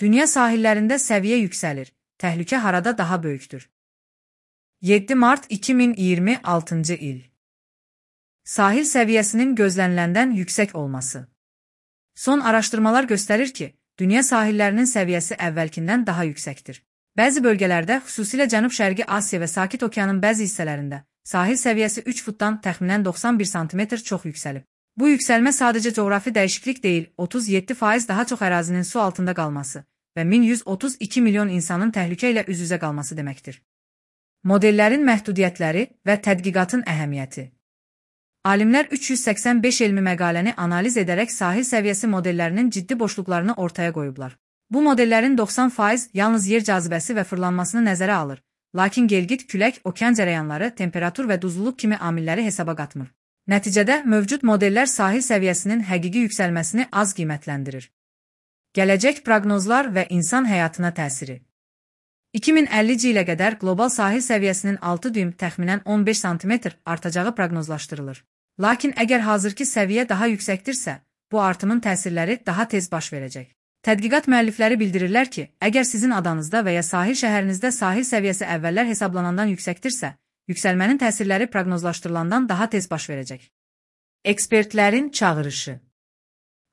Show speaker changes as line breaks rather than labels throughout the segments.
Dünya sahillərində səviyyə yüksəlir. Təhlükə harada daha böyükdür? 7 mart 2026-cı il. Sahil səviyyəsinin gözləniləndən yüksək olması. Son araşdırmalar göstərir ki, dünya sahillərinin səviyyəsi əvvəlkindən daha yüksəkdir. Bəzi bölgələrdə, xüsusilə Cənub-Şərqi Asiya və Sakit Okeanın bəzi hissələrində, sahil səviyyəsi 3 futdan təxminən 91 sm çox yüksəlib. Bu yüksəlmə sadəcə coğrafi dəyişiklik deyil, 37% daha çox ərazinin su altında qalması və 1132 milyon insanın təhlükə ilə üz-üzə qalması deməkdir. Modellərin məhdudiyyətləri və tədqiqatın əhəmiyyəti. Alimlər 385 elmi məqaləni analiz edərək sahil səviyyəsi modellərinin ciddi boşluqlarını ortaya qoyublar. Bu modellərin 90% yalnız yer cazibəsi və fırlanmasını nəzərə alır, lakin gelgit, külək, okean cərəyanları, temperatur və duzluluq kimi amilləri hesaba qatmır. Nəticədə, mövcud modellər sahil səviyyəsinin həqiqi yüksəlməsini az qiymətləndirir. Gələcək proqnozlar və insan həyatına təsiri. 2050-ci ilə qədər qlobal sahil səviyyəsinin 6 düym təxminən 15 sm artacağı proqnozlaşdırılır. Lakin əgər hazırki səviyyə daha yüksəkdirsə, bu artımın təsirləri daha tez baş verəcək. Tədqiqat müəllifləri bildirirlər ki, əgər sizin adanızda və ya sahil şəhərinizdə sahil səviyyəsi əvvəllər hesablanandan yüksəkdirsə, yüksəlmənin təsirləri proqnozlaşdırılandan daha tez baş verəcək. Ekspertlərin çağırışı.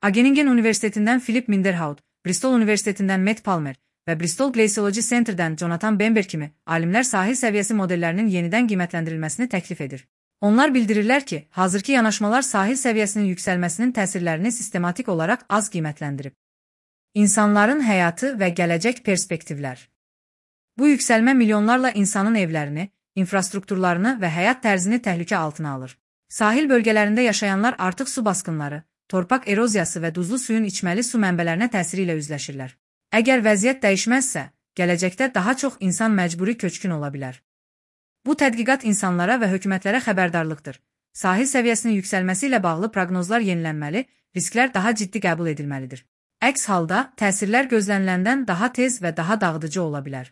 Wageningen Universitetindən Philip Minderhout, Bristol Universitetindən Matt Palmer və Bristol Glaciology Center'dən Jonathan Bamber kimi alimlər sahil səviyyəsi modellərinin yenidən qiymətləndirilməsini təklif edir. Onlar bildirirlər ki, hazırki yanaşmalar sahil səviyyəsinin yüksəlməsinin təsirlərini sistematik olaraq az qiymətləndirib. İnsanların həyatı və gələcək perspektivlər. Bu yüksəlmə milyonlarla insanın evlərini, infrastrukturlarını və həyat tərzini təhlükə altına alır. Sahil bölgələrində yaşayanlar artıq su basqınları, torpaq eroziyası və duzlu suyun içməli su mənbələrinə təsiri ilə üzləşirlər. Əgər vəziyyət dəyişməzsə, gələcəkdə daha çox insan məcburi köçkün ola bilər. Bu tədqiqat insanlara və hökumətlərə xəbərdarlıqdır. Sahil səviyyəsinin yüksəlməsi ilə bağlı proqnozlar yenilənməli, risklər daha ciddi qəbul edilməlidir. Əks halda, təsirlər gözləniləndən daha tez və daha dağıdıcı ola bilər.